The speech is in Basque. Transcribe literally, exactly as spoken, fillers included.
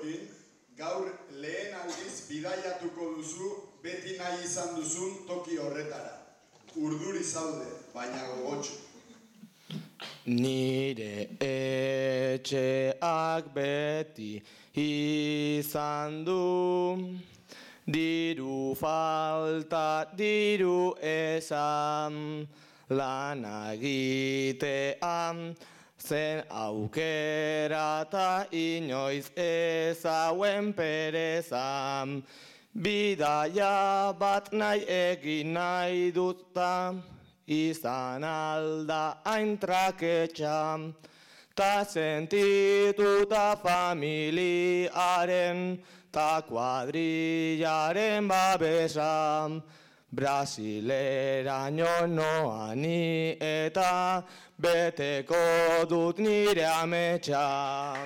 Jokin, gaur lehen aldiz bidaiatuko duzu beti nahi izan duzun toki horretara. Urduri zaude, baina gogotxo. Nire etxeak beti izan du, diru falta, diru esan, lana egitean, zen aukera ta inoiz ezauen perezan. Bidaia bat nahi egin nahi duta, izan alda hain traketxa, ta sentituta familiaren, ta kuadrillaren babesa. Brasileraino noa ni eta beteko dut nire ametsa.